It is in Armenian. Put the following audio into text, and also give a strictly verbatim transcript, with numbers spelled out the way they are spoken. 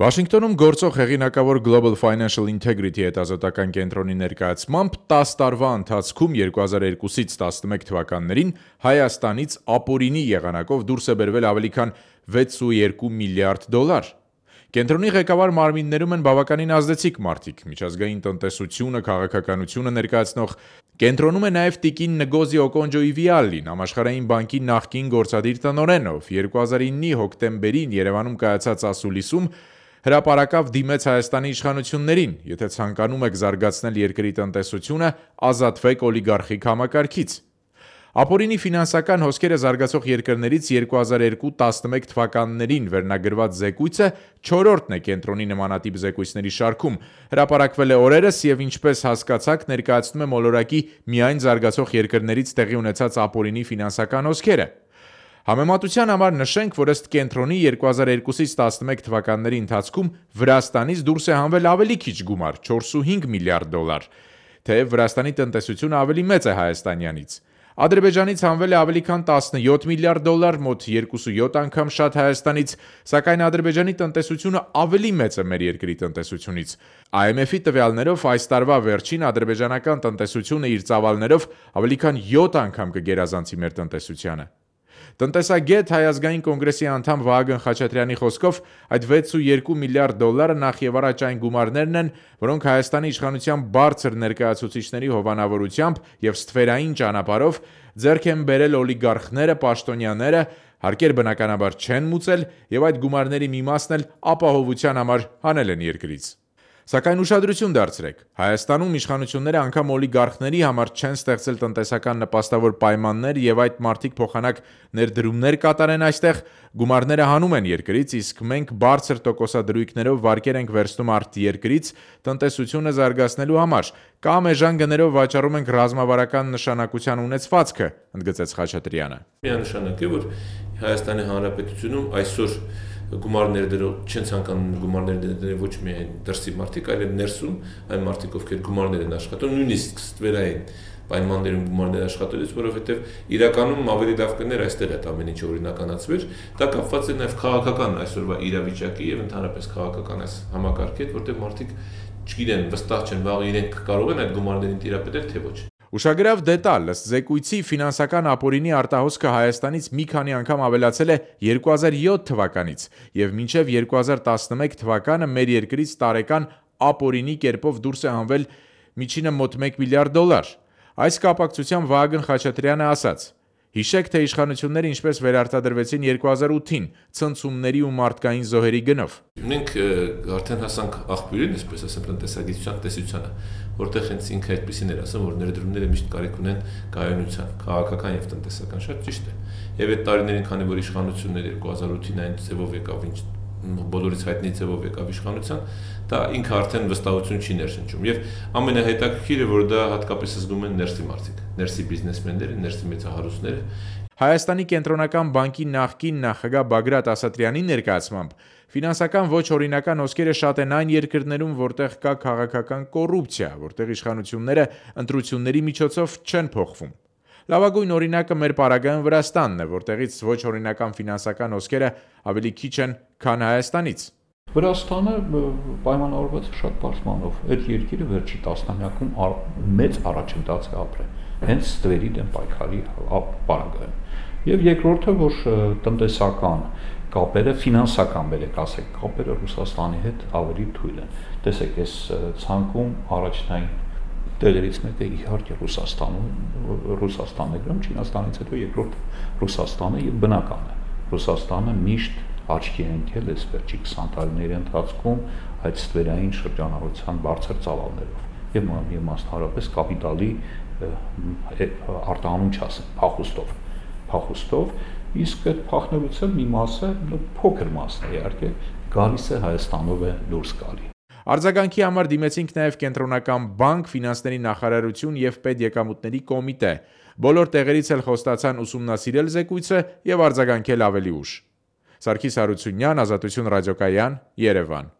Վաշինգտոնում գործող հեղինակավոր Global Financial Integrity հետազոտական կենտրոնի ներկայացմամբ տասը տարվա ընթացքում երկու հազար երկուսից տասնմեկ թվականներին Հայաստանից ապօրինի եղանակով դուրս է բերվել ավելի քան վեցուերկու միլիարդ դոլար։ Կենտրոնի ղեկավար մարմիններում են բավականին ազդեցիկ մարդիկ, միջազգային տնտեսությունը, քաղաքականությունը ներկայացնող կենտրոնում է նաև տիկին Նգոզի Օկոնջոյվիալին, Համաշխարհային բանկի նախկին գործադիր տնօրեն, ով երկու հազար իննի հոկտեմբերին Երևանում կայացած ասուլիսում հրապարակավ դիմեց Հայաստանի իշխանություններին, եթե ցանկանում եք զարգացնել երկրի տնտեսությունը, ազատվեք օլիգարխիկ համակարգից։ Ապօրինի ֆինանսական հոսքերը զարգացող երկրներից երկու հազար երկու տասնմեկ թվականներին վերնագրված զեկույցը չորրորդն է կենտրոնի նմանատիպ զեկույցների շարքում, հրապարակվել է օրերս և ինչպես հասկացաք ներկայացնում է մոլորակի միայն զարգացող երկրներից տեղի ունեցած ապօրինի ֆինանսական հոսքերը։ Համեմատության համար նշենք, որ ըստ կենտրոնի երկու հազար երկուսից տասնմեկ թվականների ընթացքում Վրաստանից դուրս է հանվել ավելի քիչ գումար՝ չորսունհինգ միլիարդ դոլար, թեև Վրաստանի տնտեսությունը ավելի մեծ է Հայաստանյանից։ Ադրբեջանից հանվել է ավելի քան տասնյոթ միլիարդ դոլար, մոտ յոթ անգամ շատ Հայաստանից, սակայն Ադրբեջանի տնտեսությունը ավելի մեծ է մեր երկրի տնտեսությունից։ I M F-ի տվյալներով այս տարվա վերջին ադրբեջանական տնտեսությունը իր ծավալներով ավելի քան յոթ անգամ կգերազանցի մեր տնտեսությանը։ Տնտեսագետ Հայ ազգային կոնգրեսի անդամ Վահագն Խաչատրյանի խոսքով այդ վեցուերկու միլիարդ դոլարը նախ եւ առաջ այն գումարներն են, որոնք Հայաստանի իշխանության բարձր ներկայացուցիչների հովանավորությամբ եւ ստվերային ճանապարհով ձեռք են բերել օլիգարխները, պաշտոնյաները, հարկեր բնականաբար չեն մուծել եւ այդ գումարների մի մասն էլ ապահովության համար հանել են երկրից։ Սակայն ուշադրություն դարձրեք, Հայաստանում իշխանությունները անգամ օլիգարխների համար չեն ստեղծել տնտեսական նպաստավոր պայմաններ եւ այդ մարդիկ փոխանակ ներդրումներ կատարեն այստեղ, գումարները հանում են երկրից, իսկ մենք բարձր տոկոսադրույքներով վարկեր ենք վերցնում արտերկրից տնտեսությունը զարգացնելու համար, կամ էժան գներով վաճառում ենք ռազմավարական նշանակության ունեցվածքը, ընդգծեց Խաչատրյանը։ Միանշանակ է, որ Հայաստանի Հանրապետությունում այսօր գումարներ դրող չեն ցանկանում գումարներ դնել ոչ միայն դրսի մարդիկ, այլև ներսում այն մարդիկ, ովքեր գումարներ են աշխատում, նույնիսկ ստվերային պայմաններում գումարներ աշխատելուց, որովհետև իրականում ավելի լավ կներ այստեղ այդ ամեն ինչը օրինականացվեր, դա կապված է նաև քաղաքական այսօրվա իրավիճակի եւ ընդհանրապես քաղաքական այս համակարգի հետ, որտեղ մարդիկ չգիտեն, վստահ չեն, վաղ իրենք կարող են այդ գումարներին տիրապետել, թե ոչ։ Ուշագրավ դետալ, ըստ զեկույցի ֆինանսական ապօրինի արտահոսքը Հայաստանից մի քանի անգամ ավելացել է երկու հազար յոթ թվականից եւ մինչեւ երկու հազար տասնմեկ թվականը մեր երկրից տարեկան ապօրինի կերպով դուրս է հանվել միջինը մոտ մեկ միլիարդ դոլար։ Այս կապակցությամբ Վահագն Խաչատրյանը ասաց. Հիշեք, թե իշխանությունները ինչպես վերարտադրվեցին երկու հազար ութին ցնցումների ու մարդկային զոհերի գնով։ Մենք արդեն հասանք աղբյուրին, այսպես ասեմ, տնտեսագիտության տեսությանը, որտեղ հենց ինքը այդպեսին էր ասում, որ ներդրումները միշտ կարիք ունեն կայունության, քաղաքական եւ տնտեսական, շատ ճիշտ է։ Եվ այդ տարիներին, քանի որ իշխանությունները երկու հազար ութին այն ձևով եկավ, ինչ բոլորից հայտնի ձևով եկավ իշխանության, դա ինքը արդեն վստահություն չի ներշնչում եւ ամենահետաքրքիրը, որ դա հատկապես զգում են ներսի մարդիկ, ներսի բիզնեսմենները, ներսի մեծահարուստները։ Հայաստանի կենտրոնական բանկի նախկին նախագահ Բագրատ Ասատրյանի ներկայացմամբ ֆինանսական ոչ օրինական հոսքերը շատ են այն երկրներում, որտեղ կա քաղաքական կոռուպցիա, որտեղ իշխանությունները ընտրությունների միջոցով չեն փոխվում։ Լավագույն օրինակը մեր պարագայում Վրաստանն է, որտեղից ոչ օրինական ֆինանսական հոսքերը ավելի քիչ են, քան Հայաստանից։ Վրաստանը պայմանավորված է շատ պարզմանով։ Այդ երկիրը վերջի տասնամյակում մեծ առաջընթաց է ապրել, հենց ստվերի դեմ պայքարի պարագայում։ Եվ երկրորդը, որ տնտեսական կապերը, ֆինանսական բերեք ասեք, կապերը Ռուսաստանի հետ ավելի թույլ են։ Տեսեք, այս ցանկում առաջնային տեղերից մեկը իհարկե Ռուսաստանում, Ռուսաստանն է գրում, Չինաստանից հետո երկրորդ Ռուսաստանը եւ բնական է։ Ռուսաստանը միշտ աչքի է ընկել այս վերջի քսան տարիների ընթացքում այդ ստվերային շրջանառության բարձր ծավալներով եւ եւ մասնավորապես կապիտալի արտահանում չասեմ, փախուստով, փախուստով, իսկ այդ փախնելուց մի մասը, փոքր մասն է իհարկե, գալիս է Հայաստանով է դուրս գալի։ Արձագանքի համար դիմեցինք նաև կենտրոնական բանկ, ֆինանսների նախարարություն եւ պետեկամուտների կոմիտե։ Բոլոր տեղերից էլ խոստացան ուսումնասիրել զեկույցը եւ արձագանքել ավելի ուշ։ Սարգիս Հարությունյան, Ազատություն ռադիոկայան, Երևան։